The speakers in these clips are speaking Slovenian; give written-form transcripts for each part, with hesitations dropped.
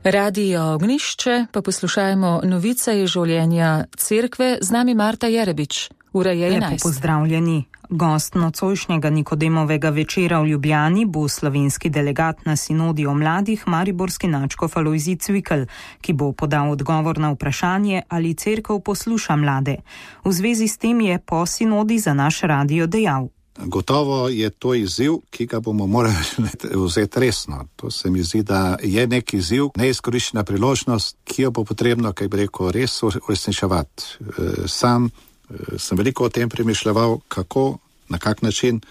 Radio Ognišče, pa poslušajmo novice iz življenja cerkve. Z nami Marta Jerebič. Ura je 11. Lepo pozdravljeni. Gost nocojšnjega Nikodemovega večera v Ljubljani bo slovenski delegat na sinodi o mladih, mariborski nadškof Alojzij Cvikl, ki bo podal odgovor na vprašanje, ali cerkev posluša mlade. V zvezi s tem je po sinodi za naš radio dejal: Gotovo je to izziv, ki ga bomo morali vzeti resno. To se mi zdi, da je nek izziv, neizkoriščena priložnost, ki jo bo potrebno, kaj bi rekel, res uresničevati. Sam sem veliko o tem premišljeval, kako, na kak način.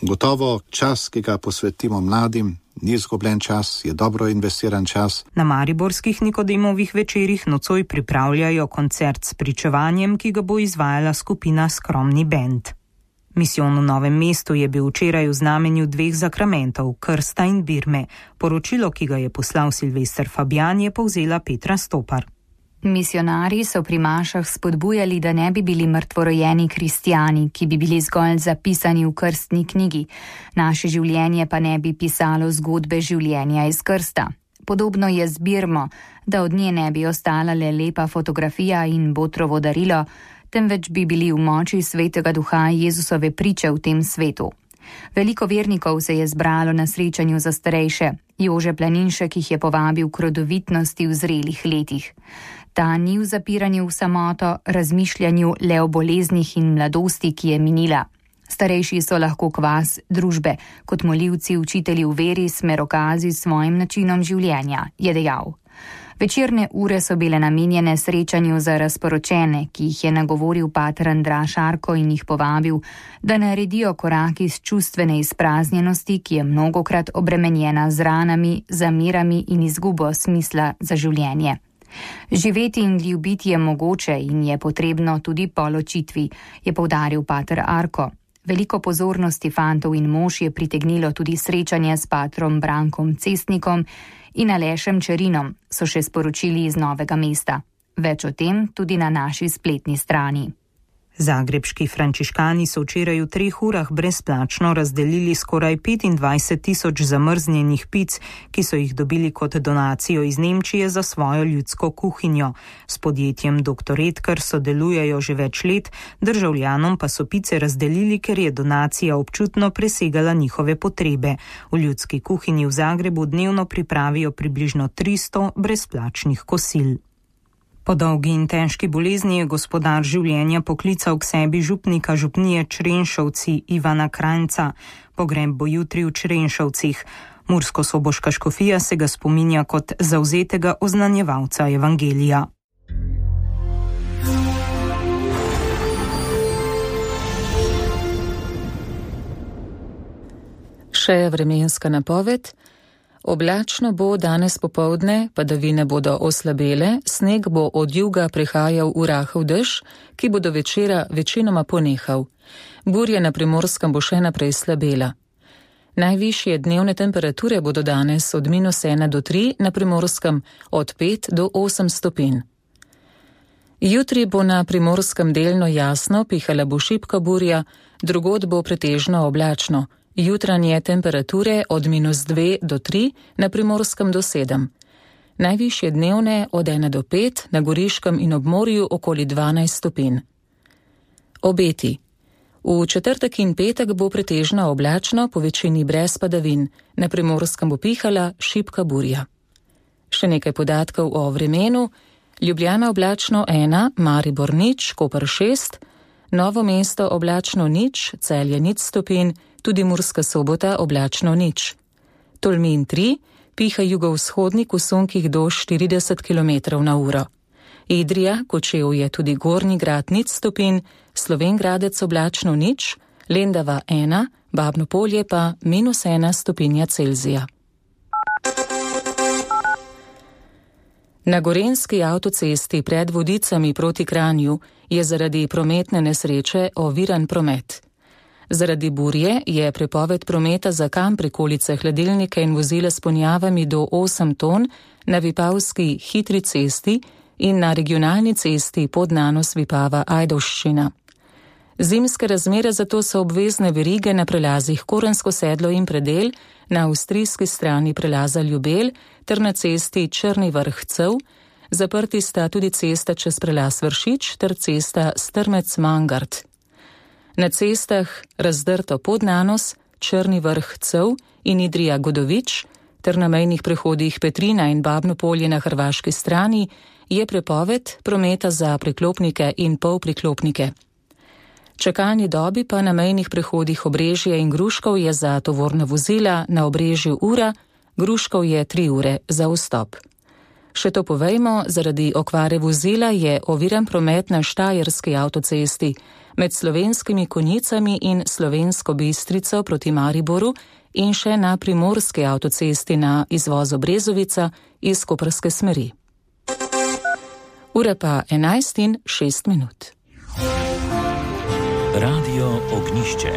Gotovo čas, ki ga posvetimo mladim, ni izgubljen čas, je dobro investiran čas. Na mariborskih Nikodemovih večerih nocoj pripravljajo koncert s pričevanjem, ki ga bo izvajala skupina Skromni bend. Misijon v Novem mestu je bil včeraj v znamenju dveh zakramentov, krsta in birme. Poročilo, ki ga je poslal Silvester Fabjan, je povzela Petra Stopar. Misionarji so pri mašah spodbujali, da ne bi bili mrtvorojeni kristjani, ki bi bili zgolj zapisani v krstni knjigi. Naše življenje pa ne bi pisalo zgodbe življenja iz krsta. Podobno je z birmo, da od nje ne bi ostala le lepa fotografija in botrovo darilo, temveč bi bili v moči Svetega Duha Jezusove priče v tem svetu. Veliko vernikov se je zbralo na srečanju za starejše. Jože Planinšek jih je povabil k rodovitnosti v zrelih letih. Ta ni v zapiranju v samoto, razmišljanju le o boleznih in mladosti, ki je minila. Starejši so lahko kvas družbe, kot molivci, učitelji v veri, smerokazi s svojim načinom življenja, je dejal. Večerne ure so bile namenjene srečanju za razporočene, ki jih je nagovoril pater Andraž Arko in jih povabil, da naredijo korak iz čustvene izpraznjenosti, ki je mnogokrat obremenjena z ranami, zamirami in izgubo smisla za življenje. Živeti in ljubiti je mogoče in je potrebno tudi po ločitvi, je poudaril pater Arko. Veliko pozornosti fantov in mož je pritegnilo tudi srečanje s patrom Brankom Cestnikom in Alešem Čerinom, so še sporočili iz Novega mesta. Več o tem tudi na naši spletni strani. Zagrebški frančiškani so včeraj v 3 urah brezplačno razdelili skoraj 25.000 zamrznjenih pic, ki so jih dobili kot donacijo iz Nemčije za svojo ljudsko kuhinjo. S podjetjem Dr. Edgar sodelujejo že več let, državljanom pa so pice razdelili, ker je donacija občutno presegala njihove potrebe. V ljudski kuhinji v Zagrebu dnevno pripravijo približno 300 brezplačnih kosil. Po dolgi in težki bolezni je gospodar življenja poklical k sebi župnika župnije Črenšovci Ivana Kranjca. Pogreb bo jutri v Črenšovcih. Mursko-soboška škofija se ga spominja kot zavzetega oznanjevalca evangelija. Še vremenska napoved. Oblačno bo danes popoldne, padavine bodo oslabele, sneg bo od juga prihajal v rahel dež, ki bo do večera večinoma ponehal. Burja na Primorskem bo še naprej slabela. Najvišje dnevne temperature bodo danes od -1 do 3, na Primorskem od 5 do 8 stopinj. Jutri bo na Primorskem delno jasno, pihala bo šibka burja, drugod bo pretežno oblačno. Jutranje temperature od -2 do 3, na Primorskem do 7. Najvišje dnevne od 1 do 5, na Goriškem in ob morju okoli 12 stopinj. Obeti. V četrtek in petek bo pretežno oblačno, po večini brez padavin. Na Primorskem bo pihala šibka burja. Še nekaj podatkov o vremenu. Ljubljana oblačno 1, Maribor 0, Koper 6, Novo mesto oblačno 0, Celje 0 stopinj, tudi Murska Sobota oblačno 0. Tolmin 3, piha jugovzhodnik v sunkih do 40 km/h. Idrija, Kočevje tudi Gornji Grad 0 stopinj, Slovenj Gradec oblačno 0, Lendava 1, Babno Polje pa -1 stopinja Celzija. Na gorenjski avtocesti pred Vodicami proti Kranju je zaradi prometne nesreče oviran promet. Zaradi burje je prepoved prometa za kamp, prikolice, hladilnike in vozila s ponjavami do 8 ton na Vipavski hitri cesti in na regionalni cesti Podnanos Vipava Ajdovščina. Zimske razmere zato so obvezne verige na prelazih Korensko sedlo in Predel, na avstrijski strani prelaza Ljubelj ter na cesti Črni Vrh-Cev. Zaprti sta tudi cesta čez prelaz Vršič ter cesta Strmec-Mangart. Na cestah Razdrto Podnanos, Črni Vrh-Cev in Idrija-Godovič ter na mejnih prehodih Petrina in Babno Polje na hrvaški strani je prepoved prometa za priklopnike in polpriklopnike. Čakalni dobi pa na mejnih prehodih Obrežje in Gruškov je za tovorna vozila na Obrežju ura, Gruškov je 3 ure za vstop. Še to povejmo, zaradi okvare vozila je oviran promet na Štajerski avtocesti med Slovenskimi Konjicami in Slovensko Bistrico proti Mariboru in še na Primorski avtocesti na izvozu Brezovica iz koprske smeri. Ura pa 11:06. Radio Ognišče.